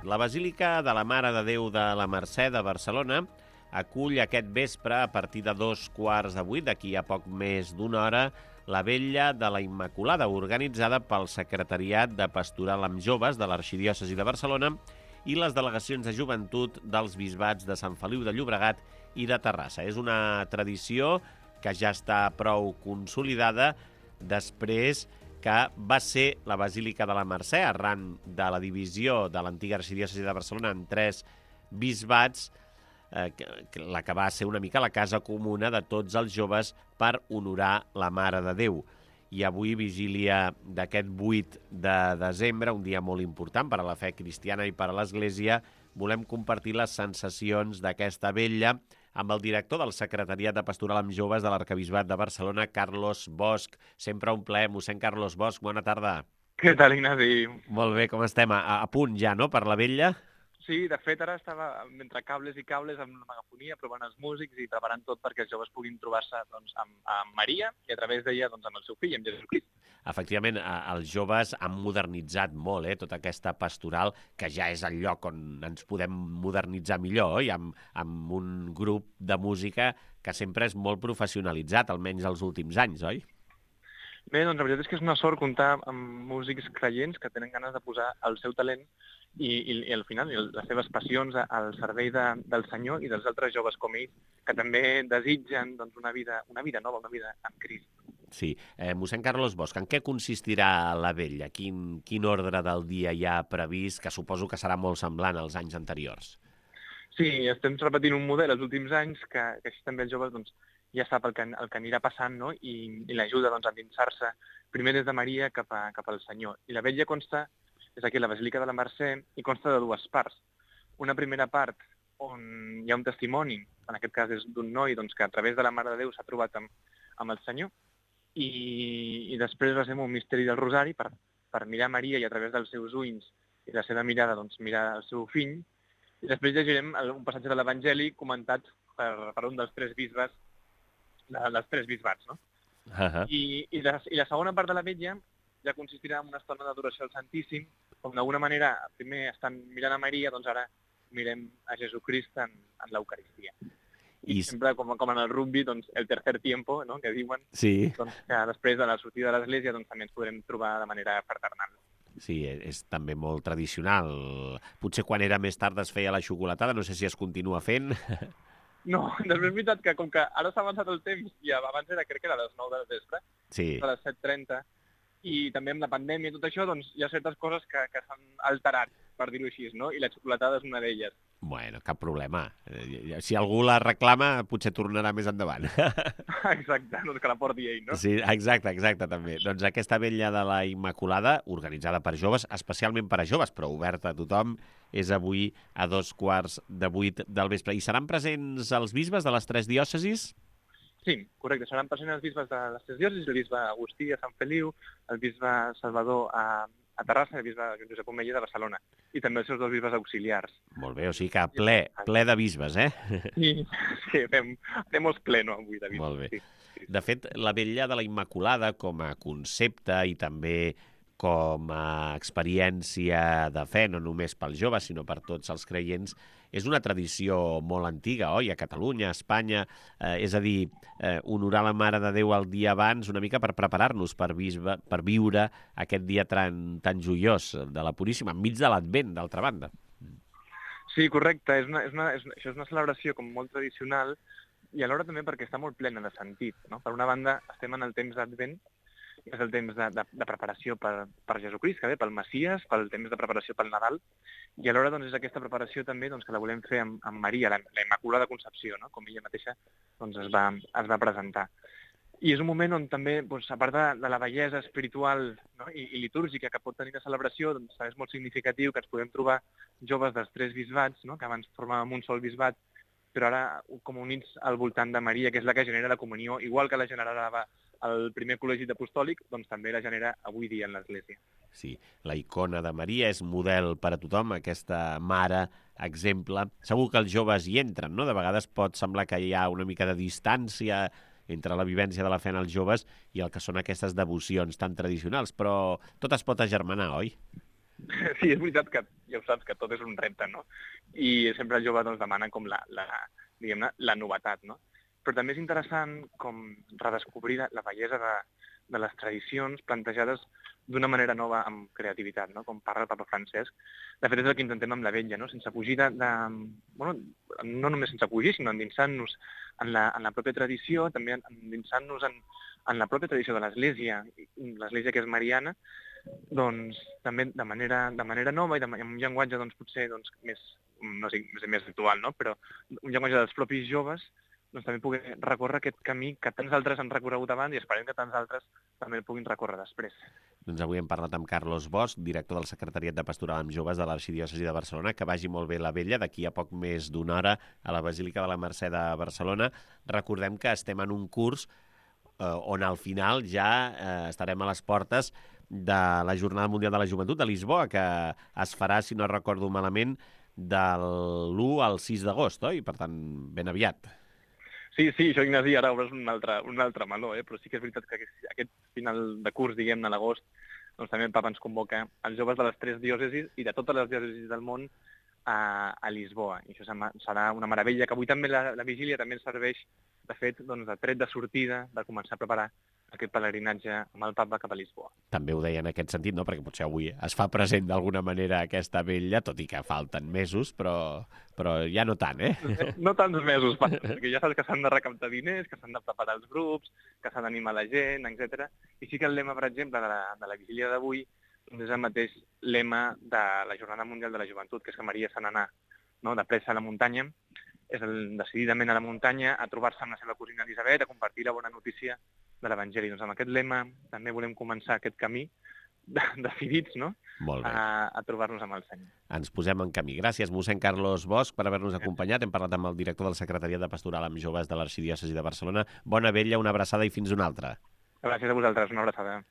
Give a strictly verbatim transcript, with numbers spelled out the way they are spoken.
La Basílica de la Mare de Déu de la Mercè de Barcelona acull aquest vespre, a partir de dos quarts de vuit, d'aquí a poc més d'una hora, la Vetlla de la Immaculada, organitzada pel Secretariat de Pastoral amb Joves de l'Arxidiòcesi de Barcelona i les delegacions de joventut dels bisbats de Sant Feliu de Llobregat i de Terrassa. És una tradició que ja està prou consolidada després que va ser la Basílica de la Mercè, arran de la divisió de l'antiga arxidiòcesi de Barcelona en tres bisbats, eh, la que va ser una mica la casa comuna de tots els joves per honorar la Mare de Déu. I avui, vigília d'aquest vuit de desembre, un dia molt important per a la fe cristiana i per a l'Església, volem compartir les sensacions d'aquesta vetlla amb el director del Secretariat de Pastoral amb Joves de l'Arquebisbat de Barcelona, Carlos Bosch. Sempre un plaer, mossèn Carlos Bosch, bona tarda. Què tal, Ignasi? Molt bé, com estem? A, a punt ja, no?, per la vetlla? Sí, de fet, ara estava entre cables i cables amb la megafonia, provant els músics i preparant tot perquè els joves puguin trobar-se doncs, amb, amb Maria i a través d'ella doncs, amb el seu fill, amb Jesucrist. Efectivament, els joves han modernitzat molt eh, tota aquesta pastoral, que ja és el lloc on ens podem modernitzar millor, oi? Amb, amb un grup de música que sempre és molt professionalitzat, almenys els últims anys, oi? Bé, doncs la veritat és que és una sort comptar amb músics creients que tenen ganes de posar el seu talent i, i, i al final i les seves passions al servei de, del Senyor i dels altres joves com ells, que també desitgen doncs, una, vida, una vida nova, una vida amb Crist. Sí. Eh, mossèn Carlos Bosch, en què consistirà la vetlla? Quin, quin ordre del dia hi ha previst, que suposo que serà molt semblant als anys anteriors? Sí, estem repetint un model els últims anys que, que així també els joves doncs, ja sap el que, el que anirà passant, no? I, i l'ajuda doncs, a endinsar-se primer des de Maria cap, a, cap al Senyor. I la vetlla consta, és aquí la Basílica de la Mercè, i consta de dues parts. Una primera part on hi ha un testimoni, en aquest cas és d'un noi doncs, que a través de la Mare de Déu s'ha trobat amb, amb el Senyor, i, i després va ser un misteri del Rosari per, per mirar Maria i a través dels seus ulls i la seva mirada doncs, mirar el seu fill, i després llegirem un passatge de l'Evangeli comentat per, per un dels tres bisbes, de, dels tres bisbats, no? Uh-huh. I, i, la, I la segona part de la vetlla ja consistirà en una estona d'adoració al Santíssim, on d'alguna manera primer estan mirant a Maria, doncs ara mirem a Jesucrist en, en l'Eucaristia. I, I sempre, com, com en el rugby, doncs, el tercer tiempo, no?, que diuen, sí. doncs, que després de la sortida de l'Església doncs, també ens podrem trobar de manera fraternal. Sí, és també molt tradicional. Potser quan era més tard es feia la xocolatada, no sé si es continua fent. No, després és veritat que com que ara s'ha avançat el temps, i abans era, crec que era a les nou de la vespre, sí. A les set trenta, i també amb la pandèmia i tot això, doncs hi ha certes coses que, que s'han alterat, per dir-ho així, no? I la xocolatada és una d'elles. Bueno, cap problema. Si algú la reclama, potser tornarà més endavant. Exacte, doncs que la porti ell, no? Sí, exacte, exacte, també. Doncs aquesta vetlla de la Immaculada, organitzada per joves, especialment per a joves, però oberta a tothom, és avui a dos quarts de vuit del vespre. I seran presents els bisbes de les tres diòcesis? Sí, correcte. Seran presents els bisbes de les tres diòcesis, el bisbe Agustí a Sant Feliu, el bisbe Salvador a, a Terrassa i el bisbe Josep Omeia de Barcelona. I també els seus dos bisbes auxiliars. Molt bé, o sigui que ple, ple de bisbes, eh? Sí, sí fem, fem els pleno avui de bisbes. Molt bé. Sí, sí. De fet, la vetlla de la Immaculada com a concepte i també com a experiència de fe, no només pels joves, sinó per tots els creients, és una tradició molt antiga, oi? A Catalunya, a Espanya, eh, és a dir, eh, honorar la Mare de Déu el dia abans una mica per preparar-nos per, bisbe, per viure aquest dia tan, tan joiós de la Puríssima, enmig de l'Advent, d'altra banda. Sí, correcte. És una, és una, és una, això és una celebració com molt tradicional i alhora també perquè està molt plena de sentit, no? Per una banda, estem en el temps d'Advent, és el temps de, de, de preparació per, per Jesucrist, que ve, pel Messies, pel temps de preparació pel Nadal, i alhora doncs, és aquesta preparació també doncs, que la volem fer amb, amb Maria, la, la Immaculada Concepció, no? Com ella mateixa doncs, es, va, es va presentar. I és un moment on també, doncs, a part de, de la bellesa espiritual, no? I, i litúrgica que pot tenir la celebració, doncs, és molt significatiu que ens podem trobar joves dels tres bisbats, no? Que abans formàvem un sol bisbat, però ara com units al voltant de Maria, que és la que genera la comunió, igual que la generava el primer col·legi apostòlic, doncs també la genera avui dia en l'Església. Sí, la icona de Maria és model per a tothom, aquesta mare, exemple. Segur que els joves hi entren, no? De vegades pot semblar que hi ha una mica de distància entre la vivència de la fe en els joves i el que són aquestes devocions tan tradicionals, però tot es pot agermanar, oi? Sí, és veritat que ja ho saps, que tot és un repte, no? I sempre el jove doncs, demana com la, la, diguem-ne, la novetat, no? Però també és interessant com redescobrir la, la bellesa de, de les tradicions plantejades d'una manera nova amb creativitat, no? Com parla el papa Francesc. De fet, és el que intentem amb la vetlla, no? Sense fugir de, de... Bueno, no només sense fugir, sinó endinsant-nos en la, en la pròpia tradició, també endinsant-nos en, en la pròpia tradició de l'Església, l'Església que és mariana, doncs també de manera, de manera nova i de, amb un llenguatge doncs, potser doncs, més, no sé, més actual, no? Però un llenguatge dels propis joves, doncs també poder recórrer aquest camí que tants altres han recorregut abans i esperem que tants altres també el puguin recórrer després. Doncs avui hem parlat amb Carlos Bosch, director del Secretariat de Pastoral amb Joves de l'Arxidiòcesi de Barcelona. Que vagi molt bé la vetlla, d'aquí a poc més d'una hora a la Basílica de la Mercè de Barcelona. Recordem que estem en un curs eh, on al final ja eh, estarem a les portes de la Jornada Mundial de la Joventut de Lisboa, que es farà, si no recordo malament, de l'u al sis d'agost, oi? Per tant, ben aviat. Sí, sí, això, Ignasi, ara obres un altre, un altre meló, eh? Però sí que és veritat que aquest final de curs, diguem-ne, a l'agost, doncs també el papa ens convoca els joves de les tres diòcesis i de totes les diòcesis del món a, a Lisboa. I això serà una meravella, que avui també la, la vigília també ens serveix, de fet, doncs, de tret de sortida, de començar a preparar aquest pelegrinatge amb el papa cap a Lisboa. També ho deia en aquest sentit, no? Perquè potser avui es fa present d'alguna manera aquesta vetlla, tot i que falten mesos, però, però ja no tant, eh? No tants mesos, perquè ja saps que s'han de recaptar diners, que s'han de preparar els grups, que s'ha d'animar la gent, etcètera. I sí que el lema, per exemple, de la, de la vigília d'avui és el mateix lema de la Jornada Mundial de la Joventut, que és que Maria se n'anà, no? De pressa a la muntanya, és el decididament a la muntanya, a trobar-se amb la seva cosina Elisabet, a compartir la bona notícia de l'Evangeli. Doncs amb aquest lema també volem començar aquest camí de, decidits, no? Molt bé. A, a trobar-nos amb el Senyor. Ens posem en camí. Gràcies, mossèn Carlos Bosch, per haver-nos acompanyat. Hem parlat amb el director del Secretariat de Pastoral amb Joves de l'Arxidiòcesi de Barcelona. Bona vetlla, una abraçada i fins una altra. Gràcies a vosaltres, una abraçada.